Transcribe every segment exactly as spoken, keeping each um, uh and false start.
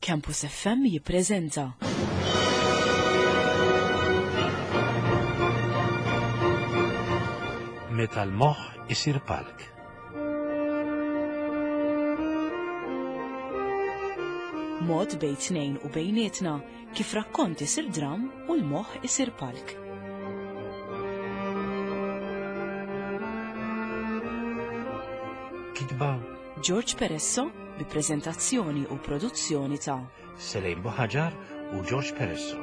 Campus F M jippreżenta Meta l-moħħ isir palk. Mod bejn tnejn u bejnietna kif rakkont isir dram u l-moħħ isir palk. Kitba George Peresso bi preżentazzjoni u produzzjoni ta' Selejn Buħaġar u George Peresso.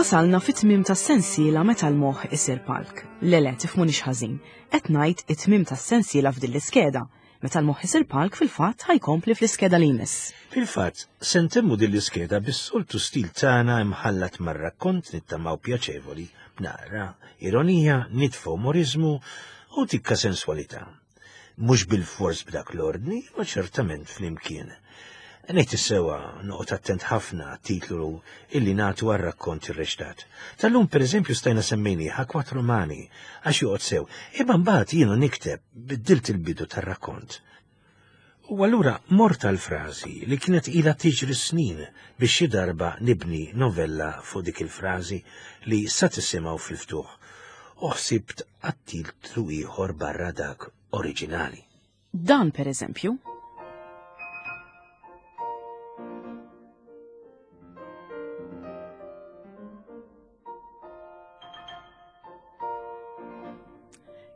Wasalna fit-tmim tas-sensiela Meta l-moħħ isir palk. Le le, tifhmunix ħażin. Qed ngħid it-tmim tas-sensiela f'din l-iskeda. Meta l-moħħ isir palk fil-fatt ħa jkompli fl-iskeda li jmiss. Fil-fatt, se ntemmu din l-iskeda bis-soltu stil tagħna imħallat mar-rakkont nittamaw pjaċevoli, b'naqra ironija, nitfa umorizmu u tikka senswalità. Mhux bil-fors b'dak l-ordni, ma ċertament flimkien. Ngħid is-sewa noqgħod attent ħafna titlu illi nagħtu għar-rakkont irreċtat. Tal-lum pereżempju stajna semmejniha Quattro Mani għax joqgħod sew, imma mbagħad jiena nikteb biddilt il-bidu tar-rakkont. U allura mort għal frażi li kienet ilha tiġri snin biex xi darba nibni novella fuq dik il-frażi li sa tisimgħu fil-ftuħ. U ħsibt għat-titlu ieħor barra dak oriġinali. Dan pereżempju.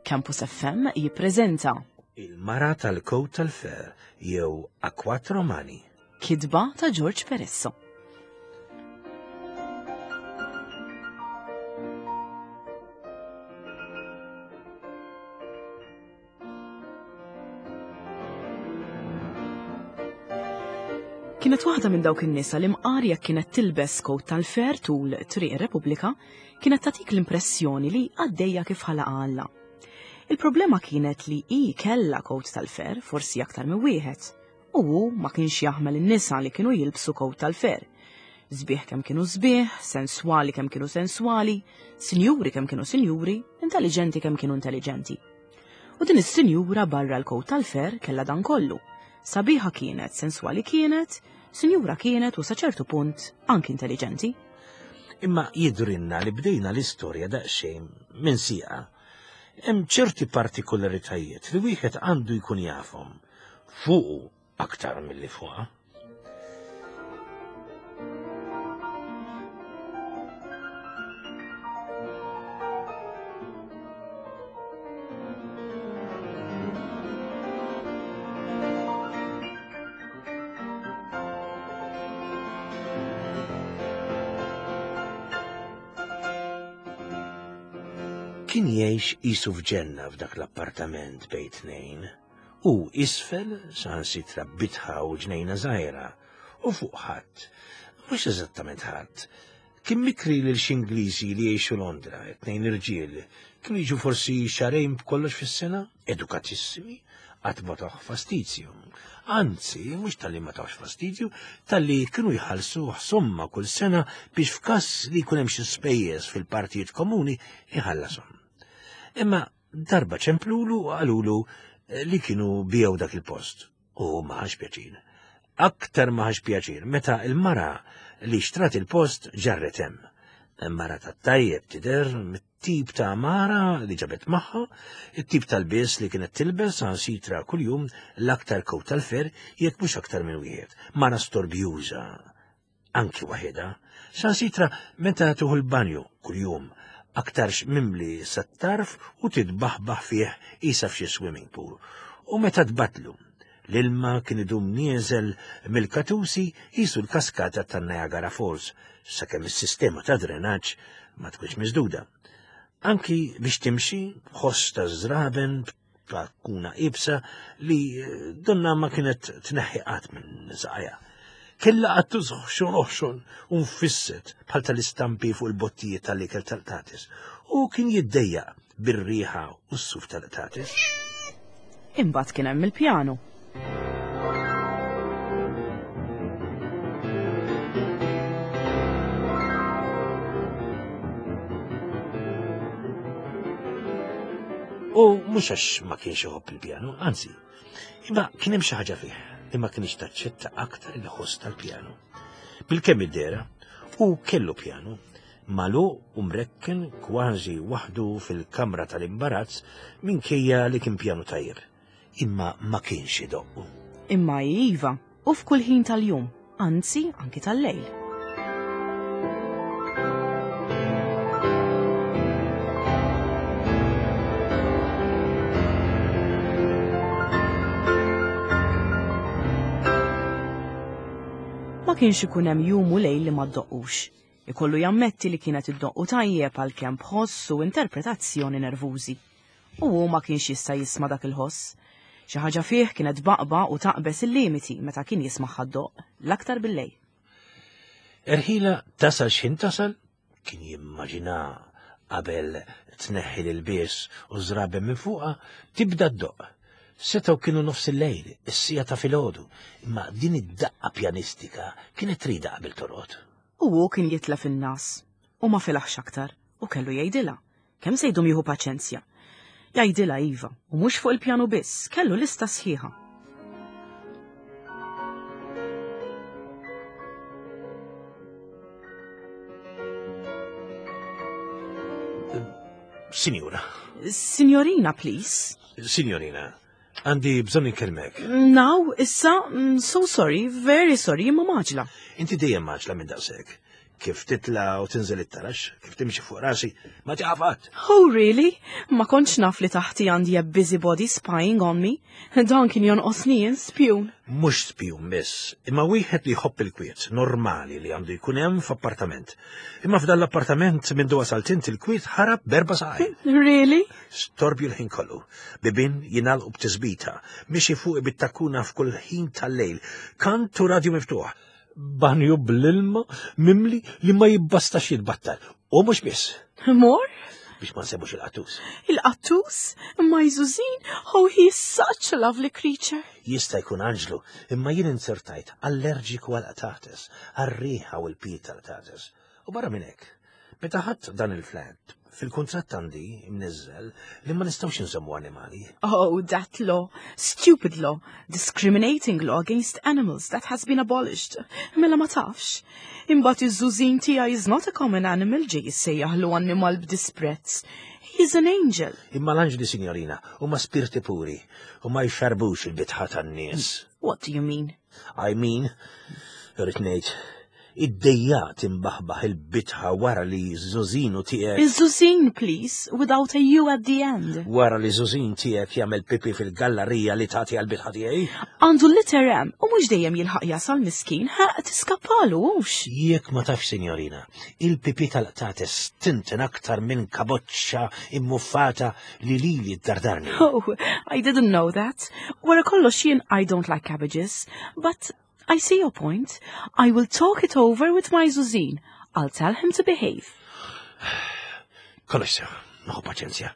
Campus F M jippreżenta Il-mara tal-kowt tal-fer jew A Quattro Mani. Kitba ta' George Peresso. Kienet waħda minn dawk in-nisa li mqar jekk kienet tilbes kowt tal-fer tul Triq ir-Repubblika, kienet tagħtik l-impressjoni li għaddejja kif ħalaqa Alla. Il-problema kienet li hi kellha kowt tal-fer, forsi aktar minn wieħed, u hu ma kienx jaħmel in-nisa li kienu jilbsu kowt tal-fer. Sbieħ kemm kienu sbieħ, senswali kemm kienu senswali, sinjuri kemm kienu sinjuri, intelligenti kemm kienu intelligenti. U din is-sinjura barra l-kowt tal-fer kellha dan kollu. Sabiħa kienet, senswali kienet, sinjura kienet u sa ċertu punt anki intelligenti. Imma jidrinna li bdejna l-istorja daqsxejn minn sieqa. Hemm ċerti partikolaritajiet li wieħed għandu jkun jafhom fuqu aktar milli fuqha. Kien jgħix qisu f'ġenna f'dak l-appartament bejn tnejn, u isfel saħansitra bitħa u ġnejna żgħira, u fuq ħadd, mhux eżattament ħadd, kien mikri lil xi Ingliżi li jgħixu Londra, tnejn irġiel, kienu jiġu forsi xahrejn b'kollox fis-sena, edukatissimi, qatt ma tawh fastidju. Anzi, mhux talli ma tawx fastidju, talli kienu jħallsu somma kull sena biex f'każ li jkun hemm xi spejjeż fil-partijiet komuni jħallashom. Imma darba ċemplulu u qalulu li kienu biegħu dak il-post. U ma ħax pjaċir. Aktar ma ħax pjaċir meta il-mara li xtrat il-post ġarret hemm. Mara tat-tajjeb tidher, mit-tip ta' mara li ġabet magħha, it-tip tal-bies li kienet tilbes saħansitra kuljum l-aktar kowt tal-fer jekk mhux aktar minn wieħed. Mara storbjuża, anki waħedha, saħansitra meta tuħu l-banju kuljum, aktarx mimli sat-tarf u titbaħbaħ fih isa f'xi swimming pool. U meta tbatlu, l-ilma kien idum nieżel mill-katusi jisu l-kaskata ta' Niagara Falls, sakemm is-sistema ta' drenaġġ ma tkunx miżduda. Anki biex timxi, ħoss ta' żraben, kuna ibsa li donna ma kienet tneħħi qatt minn saqajha. Kella qattus ħxon oħxon u mfisset bħal tal-istampi fuq il-bottijiet tal-ikel tal-qtates u kien jiddejjaq bir-riħa u s-suf tal-qtates. Imbagħad kien hemm il-pjanu. U mhux għax ma kienx iħobb il-pjanu, anzi, imma kien hemm xi ħaġa fih li ma kienx taċċetta aktar il-ħoss tal-pjanu. Bilkemm id-dera, u kellu pjanu, magħluq u mrekken kważi waħdu fil-kamra tal-imbarazz minkejja li kien pjanu tajjeb. Imma ma kienx idoqqu. Imma iva, u f'kull ħin tal-jum, anzi anki tal-lejl. Ma kienx ikun hemm jum u lejl li ma ddoqqux. Ikollu jammetti li kienet iddoqqu tajjeb għalkemm b'ħoss u interpretazzjoni nervużi. U hu ma kienx jista' jisma' dak il-ħoss. Xi ħaġa fih kienet baqba u taqbes il-limiti meta kien jismagħha ddoqq, l-aktar bil-lejl. Erħila tasal x'ħin tasal, kien jimmaġina qabel tneħħi l-ilbies u żraben minn fuqha tibda ddoqq. Setgħu kienu nofs il-lejl, is-sija ta' filgħodu, imma din id-daqqa pjanistika kienet trida qabel torqod. U hu kien jitlef in-nas u ma filaħx aktar u kellu jgħidilha. Kemm se jdum jieħu paċenzja? Jgħidilha iva, u mhux fuq il-pjanu biss, kellu lista sħiħa. Sinjura. Signorina, please. Signorina, għandi bżonn inkellmek. Now, issa, mm, so sorry, very sorry, imma mgħaġġla. Inti dejjem mgħaġġla minn daqshekk. Kif titla u tinżel it-tarax, kif timxi fuq rasi, ma tieqaf qatt. Oh, really? Ma kontx naf li taħti għandi a busybody spying on me. Dan kien jonqosni jien spjun. Mhux spjun biss, imma wieħed li jħobb il-kwiet, normali li għandu jkun hemm f'appartament. Imma f'dan l-appartament minn wasalt int il-kwiet ħarab b'erba' saqajn. Really? Storbju l-ħin kollu, bibien jingħalqu b'tisbita, mixi fuq bit-takuna f'kull ħin tal-lejl, kant u radju miftuħ. Banju bl-ilma mimli li ma jibbastax jitbattal. U mhux biss. More? Biex ma nsemmux il-qattus. Il-qattus? My Zuzin? Oh, he is such a lovely creature. Jista' jkun anġlu, imma jien inzertajt allerġiku għal-qtates, għar-riħa u l-pil tal-qtates. U barra minn hekk, meta ħadt dan il-flat, fil-kuntratt għandi imniżżel li ma nistgħux inżommu animali. Oh, that law. Stupid law. Discriminating law against animals that has been abolished. Mela ma tafx. Imbagħad iż-żużin tiegħi is not a common animal ġej jissejjaħlu annimal b'disprezz. He is an angel. Imma l-anġli, signorina, huma spirti puri u ma jxarbux il-bitħa tan-nies. What do you mean? I mean, irrid ngħid, id-dejjat imbaħbaħ il-bitħa wara li żużinu tiegħek. Iż-żużin, please, without a U at the end. Wara li żużin tiegħek jagħmel pipi fil-gallerija li tagħti għall-bitħa tiegħi. Għandu l-letter M u mhux dejjem jilħaq jasal miskin, ħa tiskappalu hux. Jekk ma tafx, signorina, il-pipi tal-qtates tinten aktar minn kaboċċa immuffata li lili ddardarni. Oh, I didn't know that. Wara kollox jien I don't like cabbages, but I see your point. I will talk it over with my Zuzin. I'll tell him to behave. Kollox sew, nieħu paċenzja.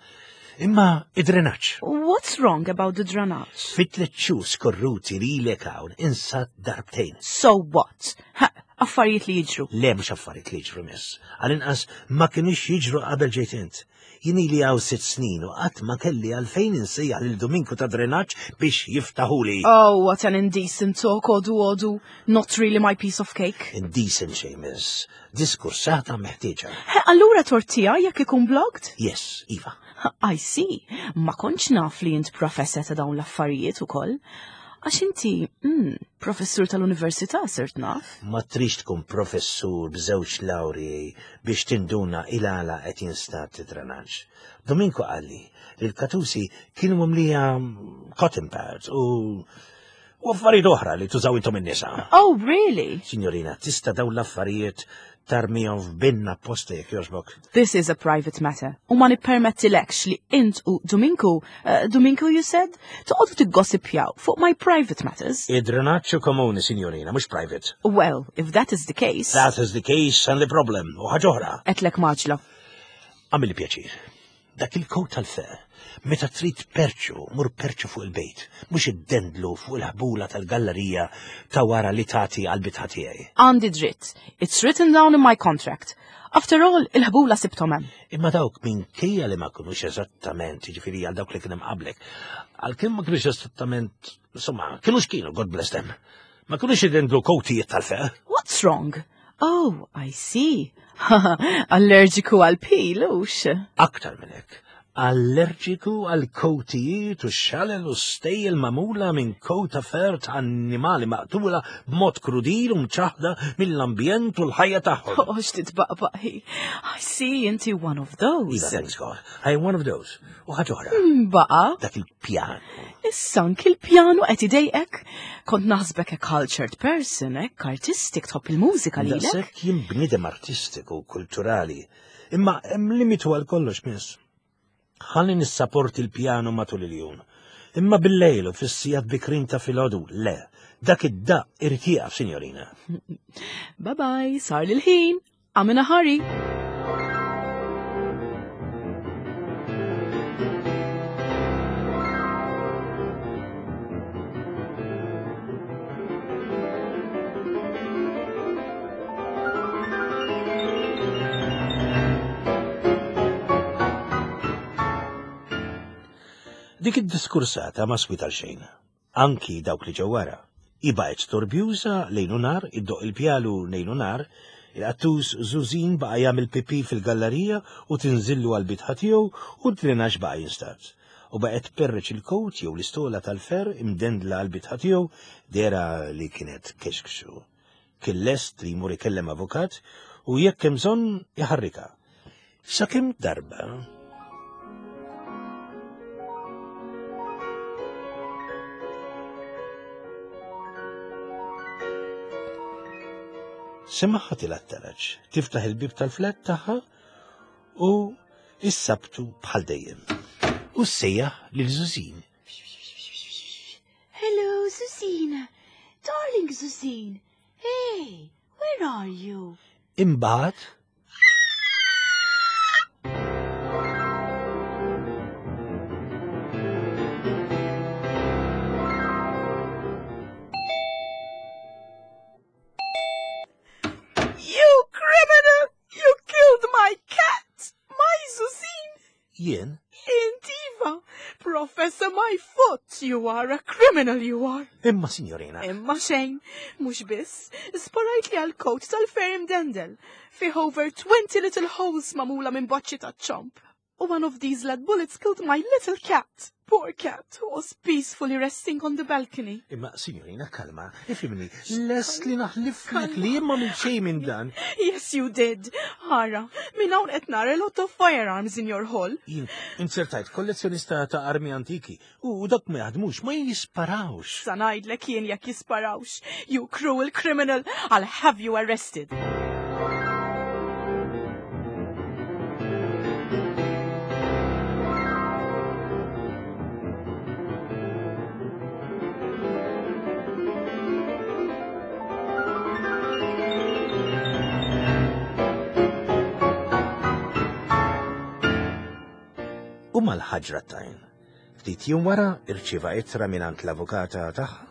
Imma id-drenaġġ. What's wrong about the drenaġġ? Fit-tliet xhur skorruti lilek hawn insad darbtejn. So what? Ha, affarijiet li jiġru. Le mhux affarijiet li jiġru miss. Għal-inqas ma kienux jiġru qabel ġejt int. Jien ili hawn sitt snin u qatt ma kelli għalfejn insejjaħ lil Dominku ta' drenaġġ biex jiftaħuli. Oh, what an indecent talk, odu odu. Not really my piece of cake. Indecent xejn, miss. Diskursata meħtieġa. He, allura tort tiegħi jekk ikun blocked? Yes, Iva. I see. Ma kontx naf li int professor ta' dawn l-affarijiet ukoll. Għax inti, mm, professur tal-università sirt naf. Ma trix tkun professur b'żewġ lawri biex tinduna il-għala qed jinstab id-drenaġġ. Dominku qalli li l-katusi kienu mimlija cotton pads u u affarijiet oħra li tużaw intom in-nisa. Oh, really? Signorina, tista' dawn l-affarijiet tarmihom f'binna apposta jekk jogħġbok. This is a private matter. U ma nippermettilekx li int u Dominku, uh, Dominku you said, toqgħodu tiggossipjaw fuq my private matters. Id-drenaġġ komuni, signorina, mhux private. Well, if that is the case. That is the case and the problem. U ħaġa oħra. Għedtlek mgħaġġla. Għamilli pjaċir. Dak il-kowt tal-fer, Meta trid perċu, mur perċu fuq il-bejt, mhux iddendlu fuq il-ħbula tal-gallerija ta' wara li tagħti għall-bitħa tiegħi. Għandi dritt. It's written down in my contract. After all, il-ħbula sibthom hemm. Imma dawk minkejja li ma kinux eżattament, jiġifieri għal dawk li kien hemm qablek, għalkemm ma kinux eżattament, insomma, kienux kienu, God bless them. Ma kinux idendlu kowtijiet tal-fer. What's wrong? Oh, I see. Allerġiku għal pil, hux? Aktar minn hekk. Allerġiku għal kowtijiet u xalel u stejjel magħmula minn kowta fer ta' annimali maqtula b'mod krudil u mċaħda mill-ambjent u l-ħajja tagħhom. Oh, x'titbaqbaq hi. I see, inti one of those. Iva, thanks God. I am one of those. U ħaġa oħra. Baqa, Dak il-pjanu. issa anki l-pjanu qed idejqek. Kont naħsbek a cultured person, hekk artistic, tħobb il-mużika lilek. Daqshekk jien bniedem artistiku u kulturali. Imma hemm limitu għal kollox, miss. Ħalli nissaporti l-pjanu matul il-jum. Imma bil-lejl u fis-sigħat bikrin ta' filgħodu, le. Dak id-daqq irid jieqaf, sinjorina. Bye bye, sar l-ħin. I'm in a hurry. Dik id-diskursata ma swit għal xejn. Anki dawk li ġew wara. Hi baqgħet storbjuża lejl u nhar, iddoqq il-pjanu lejl u nhar, il-qattus Żużin baqa' jagħmel pipi fil-gallerija u tinżillu għal-bitħa tiegħu u d-drenaġġ baqa' jinstab. U baqgħet tperreċ il-kowt jew l-istola tal-fer imdendla għal-bitħa tiegħu dera li kienet kexkxu. Kien lest li jmur ikellem avukat u jekk hemm bżonn iħarrika. Sakemm darba semagħha tilgħa t-taraġ, tiftaħ il-bib tal-flat tagħha u issabtu bħal dejjem. U ssejjaħ lil Żużin. Hello, Zuzina. Darling Zuzin. Hey, where are you? Imbagħad You criminal! You killed my cat! My Zuzin! jien Int iva! Professor, my foot! You are a criminal, you are! imma sinjorina, Imma xejn, mhux biss, sparajt li għal-coat tal-fer imdendel. Fih over twenty little holes magħmula minn boċċi ta' ċomb. U one of these lead bullets killed my little cat. Poor cat, who was peacefully resting on the balcony. imma sinjorina kalma, ifhimni, lest li naħliflek li imma minn xejn minn dan. Yes, you did. Ara, minn hawn qed nara a lot of firearms in your hall. Jien insertajt kollezzjonista ta' armi antiki u dak ma jaħdmux, ma jisparawx. Sa ngħidlek jien jekk jisparawx. You cruel criminal, I'll have you arrested. U mal-ħaġra tajn. Ftit jum wara irċieva ittra mingħand l-avukata tagħha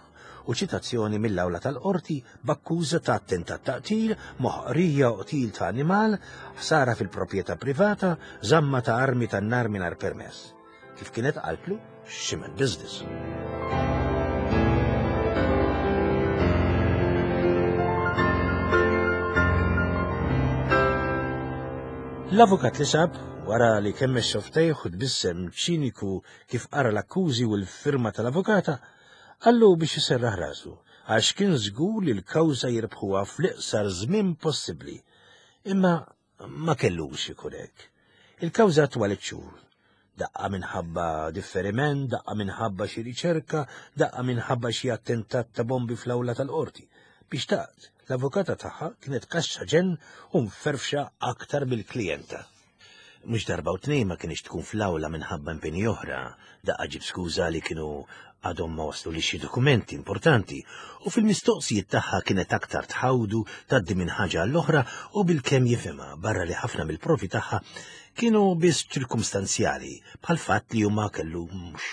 u ċitazzjoni mill-awla tal-qorti b'akkuża ta' attentat ta' qtil, moħqrija u qtil ta' animal, ħsara fil-proprjetà privata, żamma ta' armi tan-nar mingħajr permess. Kif kienet qaltlu, ximen business. L-avukat li sab, wara li kemm xoftejh u tbissem ċiniku kif qara l-akkużi u l-firma tal-avukata, qallu biex iserraħ rasu, għax kien żgur li l-kawża jirbħuha fl-iqsar żmien possibbli. Imma ma kellux ikun hekk. Il-kawża twalet xhur. Daqqa minħabba differiment, daqqa minħabba xi riċerka, daqqa minħabba xi attentat ta' bombi fl-awla tal-qorti. Biex taqt, l-avukata tagħha kienet kaxxa ġenn u mferfxa aktar mill-klijenta. Mhux darba u tnejn ma kienx tkun fl-awla minħabba impenji oħra, daqqa ġib skuża li kienu għadhom ma waslu li xi dokumenti importanti u fil-mistoqsijiet tagħha kienet aktar tħawdu tgħaddi minn ħaġa għall-oħra u bilkemm jifhimha barra li ħafna mill-provi tagħha kienu biss ċirkumstanzjali bħal fatt li huma kellu mhux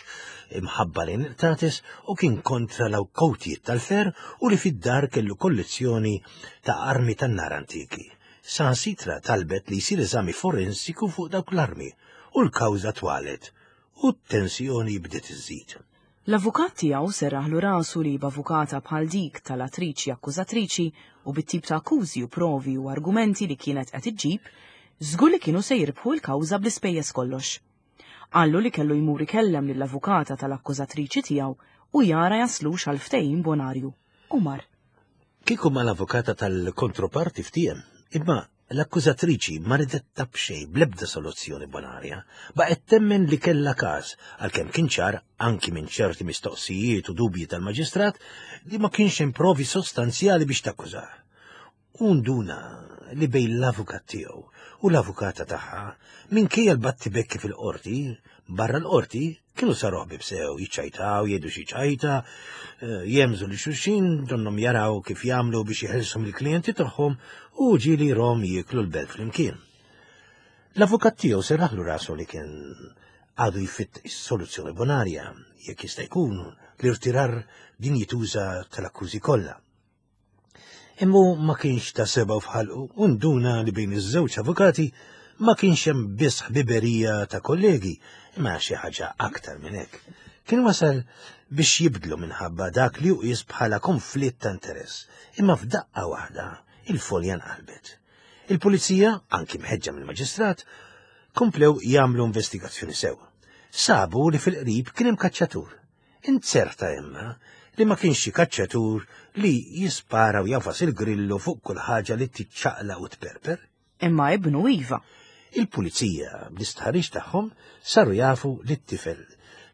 imħabba lejn il-qtates u kien kontra l-kowtijiet tal-fer u li fid-dar kellu kollezzjoni ta' armi tan-nar antiki. Saħansitra talbet li jsir eżami forensiku fuq dawk l-armi u l-kawża twalet u t-tensjoni bdiet iżżid. L-avukat tiegħu serraħlu rasu li b'avukata bħal dik tal-attriċi akkużatriċi u bit-tip ta' akkużi u provi u argumenti li kienet qed iġġib, żgur li kienu se jirbħu l-kawża bl-ispejjeż kollox. Qallu li kellu jmur ikellem lill-avukata tal-akkużatriċi tiegħu u jara jaslux għal ftehim bonarju. U mar. Kieku mal-avukata tal-kontroparti ftiehem, imma l-akkużatriċi ma ridet taf b'xejn bl-ebda soluzzjoni bonarja, baqgħet temmen li kellha każ għalkemm kien ċar anki minn ċerti mistoqsijiet u dubji tal-maġistrat li ma kienx hemm provi sostanzjali biex takkużah. U nduna li bejn l-avukat tiegħu u l-avukata tagħha minkejja l-battibekki fil-qorti, barra l-qorti kienu saru ħbieb sew, jiċċajtaw, jgħidu xi ċajta, jemżu li xulxin, donnhom jaraw kif jagħmlu biex jeħilsu mill-klijenti tagħhom u ġieli rom jieklu l-belt flimkien. L-avukat tiegħu serraħlu rasu li kien għadu jfittex soluzzjoni bonarja, jekk jista' jkun l-irtirar dinjituża tal-akkużi kollha. Imma ma kienx ta' sebgħu f'ħalqu u nduna li bejn iż-żewġ avukati ma kienx hemm biss ħbiberija ta' kollegi, imma xi ħaġa aktar minn hekk. Kien wasal biex jibdlu minħabba dak li uqis bħala konflitt ta' interess, imma f'daqqa waħda il-folja nqalbet. Il-pulizija, anki mħeġġa mill-maġistrat, komplew jagħmlu investigazzjoni sew. Sabu li fil-qrib kien hemm kaċċatur. Inzerta imma li ma kienx xi kaċċatur li jispara u jafas il-grillu fuq kull ħaġa li tiċċaqla u tperper. Imma ibnu iva. Il-pulizija bl-istħarriġ tagħhom saru jafu li t-tifel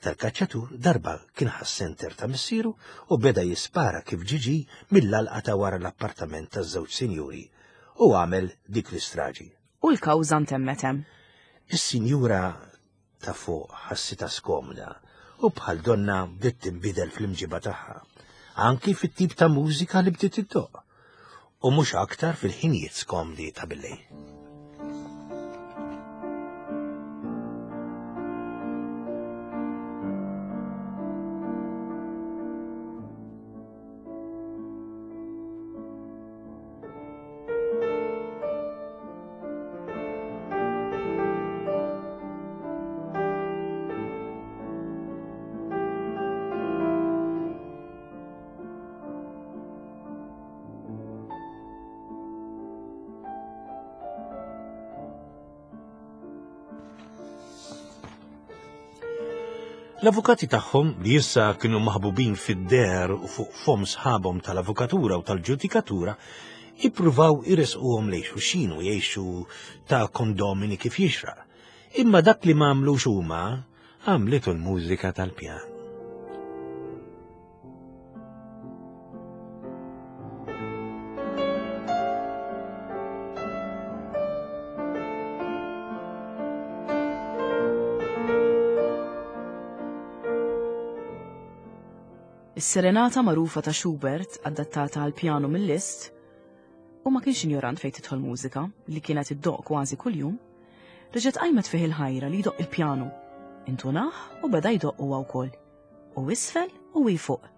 tal-kaċċatur darba kien ħas-senter ta' missieru u beda jispara kif ġiġi mill-alqa ta' wara l-appartament taż-żewġ sinjuri u għamel dik l-istraġi. U l-kawża ntemmet hemm. Is-sinjura ta' fuq ħassitha skomda u bħal donna bdiet tinbidel fl-imġiba tagħha, anki fit-tip ta' mużika li bdiet iddoq, u mhux aktar fil-ħinijiet skomdi ta' billejl. L-avukati tagħhom li issa kienu maħbubin fid-deher u fuq fom sħabhom tal-avukatura u tal-ġudikatura ippruvaw iresquhom lejn xulxin u jgħixu ta' kondomini kif jixraq. Imma dak li ma għamlux huma għamlitu l-mużika tal-pjan. Is-serenata magħrufa ta' Schubert, adattata għal pjanu mill-Liszt, u ma kienx injorant fejn tidħol mużika li kienet iddoq kważi kuljum, reġgħet qajmet fih il-ħajra li jdoq il-pjanu. Intunah u beda jdoq huwa wkoll. U isfel u hi fuq.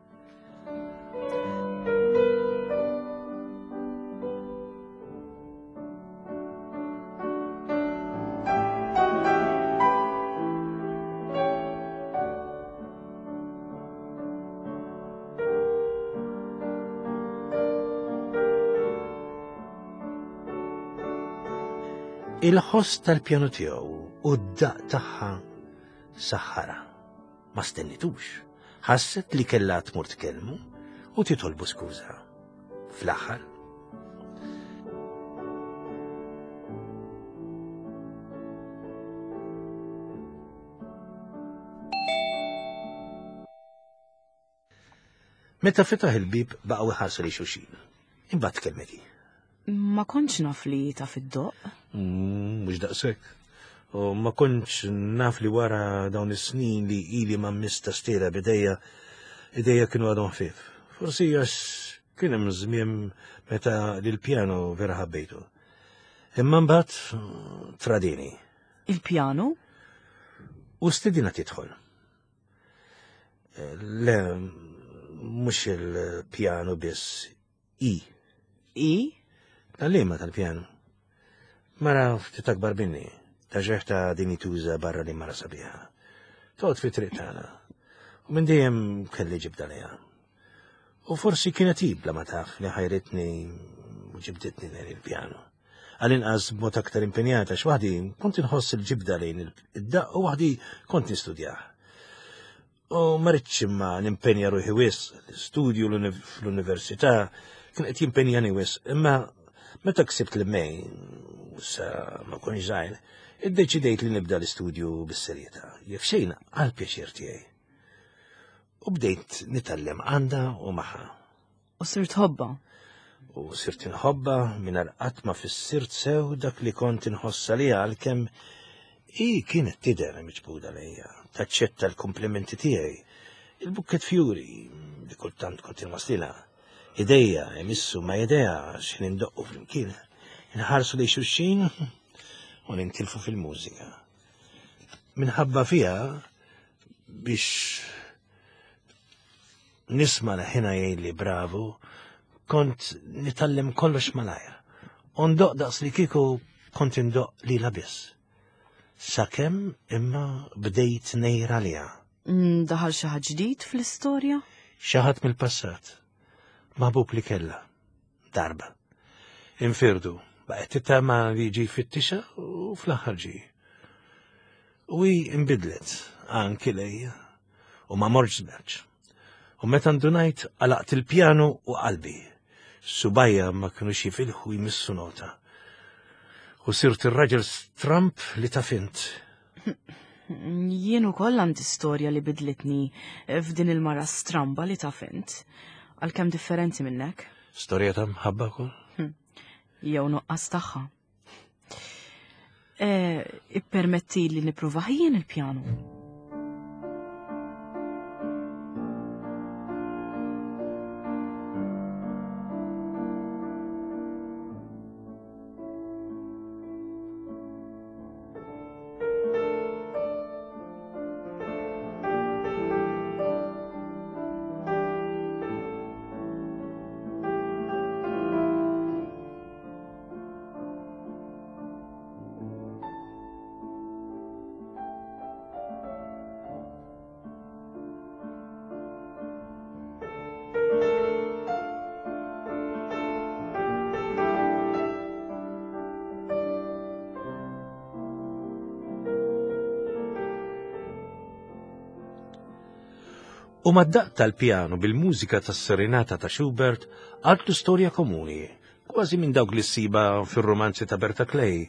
Il-ħoss tal-pjanu tiegħu u d-daq tagħha saħħara. Ma stennitux. Ħasset li kellha tmur tkellmu u titolbu skuża. Fl-aħħar meta fetaħ il-bib baqgħu iħarsu li xulxin. Imbagħad tkellmet hi. Ma kontx naf li taf iddoq. Mhux daqshekk. U ma kontx naf li wara dawn is-snin li ili ma mista stira bidejja, idejja kienu għadhom ħfief. Forsi għax kien hemm żmien meta lil-pjano vera ħabbejtu. Imma mbagħad tradini. Il-pjano? U stedina tidħol. Le, mhux il-pjano biss, i. I? Tal-liema tal-pjano. Mara ftit akbar minni, ta' ġeħta din tuża barra li mara sabiħa. Toqgħod fi triq tagħna. U minn dejjem kelli ġibda lejha. U forsi kienet hi bla ma taf li ħajritni u ġibditni lejn il-pjano. Għal-inqas b'mod aktar impenjata x'waħdi kont inħoss il-ġibda lejn id-daqq u waħdi kont nistudjah. U ma ridtx imma nimpenja ruħi wisq, l-istudju fl-università kien qed jimpenjani wisq, imma meta ksibt l-M A, sa ma kontx żgħir, iddeċidejt li nibda l-istudju bis-serjetà, jekk xejn għal pjaċir tiegħi. U bdejt nitgħallem għandha u magħha. U sirt tħobbha. U sirt inħobbha mingħajr qatt ma fissirt sew dak li kont inħossa li għalkemm i kienet tidher miġbuda lejja, taċċetta l-komplimenti tiegħi, il-bukket fjuri li kultant kont inwaslilha, idejja imissu ma' idejha x'ħin indoqqu flimkien, inħarsu lejn xulxin u nintilfu fil-mużika. Minħabba fiha biex nisma' leħinha jgħidli bravu, kont nitgħallem kollox malajr. U ndoqq daqs li kieku kont indoqq lilha biss. Sakemm imma bdejt ngħir għaliha. Mm, Daħal xi ħadd ġdid fl-istorja? Xi ħadd mill-passat. Maħbub li kella. Darba. Infirdu. Baqgħet tittama li jiġi jfittixha u fl-aħħar ġie. U hi imbidlet anki lejja u ma mortx żmerċ. U meta ndunajt għalaqt il-pjanu u qalbi. Subgħajja ma kienu jifilħu jmissu nota. U sirt ir-raġel stramp li taf int. Jien ukoll għandi storja li bidlitni f'din il-mara stramba li taf int. Għalkemm differenti minnek. Storja ta' mħabba kol? Jew nuqqas tagħha. Eh, ippermetti li nipprova jien il-pjanu. U mad-daqq tal-pjanu bil-mużika tas-serenata ta' Schubert għaltu storja komuni, kważi minn dawk li ssibha fir-romanzi ta' Berta Clay,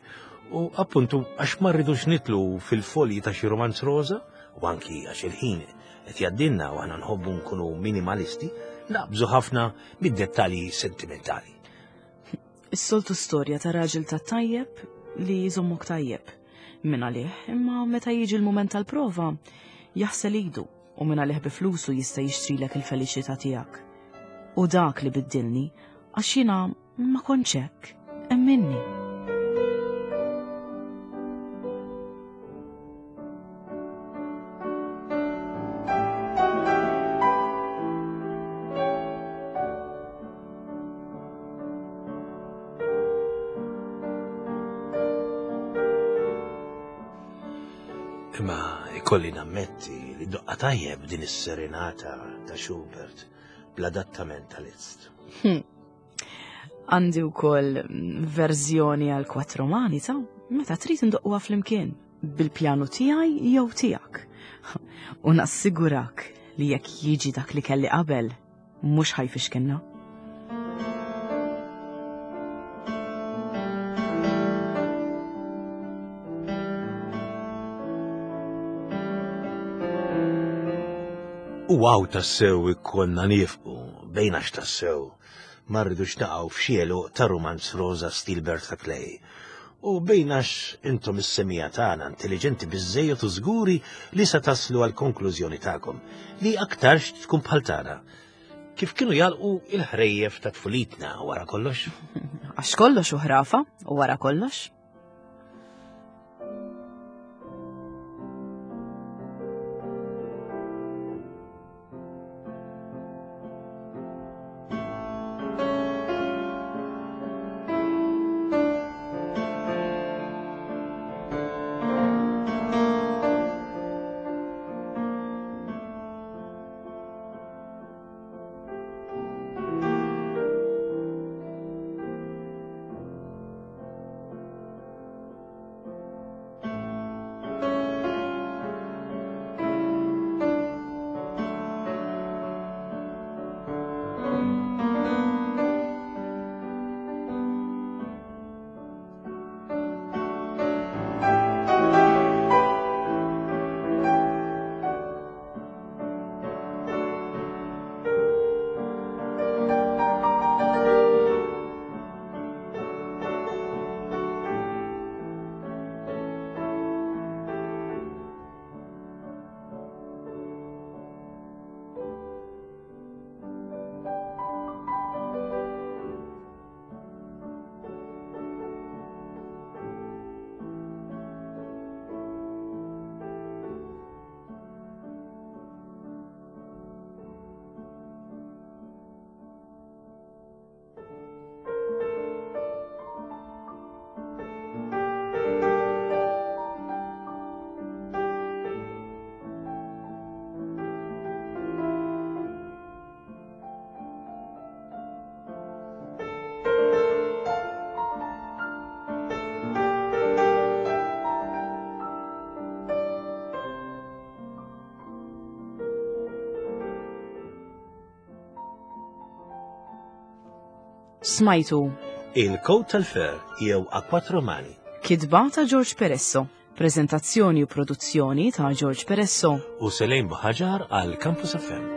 u appuntu għax ma rridux nidħlu fil-folji ta' xi romanz rosa, u anki għax il-ħin qed jgħaddilna u aħna nħobbu nkunu minimalisti, naqbżu ħafna mid-dettalji sentimentali. Is-soltu storja ta' raġel ta' tajjeb li jżommok tajjeb. Min għalih, imma meta jiġi l-mument tal-prova, jaħsel idu u min għalih bi flusu jista' jixtrilek il-feliċità tiegħek. U dak li biddilni, għax jiena ma kontx hekk, emminni. Imma ikolli nammetti li doqqha tajjeb din is-serenata ta' Schubert bl-adattament ta' Liszt. Għandi wkoll verżjoni għal quattro mani ta' meta trid indoqquha flimkien bil-pjanu tiegħi jew tiegħek. U nassigurak li jekk jiġi dak li kelli qabel, mhux ħa jfixkilna. U hawn tassew ikollna nieqfu, bejna x'tassew, ma rridux naqgħu f'xi għeluq ta' romanz rosa stil Bertha Clay. U bejnax intom is-semija tagħna intelligenti biżżejjed u żguri li se taslu għal konklużjoni tagħkom li aktarx tkun bħal tagħna. Kif kienu jalqu il-ħrejjef ta' tfulitna wara kollox? Għax kollox u ħrafa u wara kollox. Smajtu Il-Kowt tal-Fer jew A Quattro Mani. Kitba ta' George Peresso. Prezentazzjoni u produzzjoni ta' George Peresso. U Selejn Buħaġar għal Campus F M.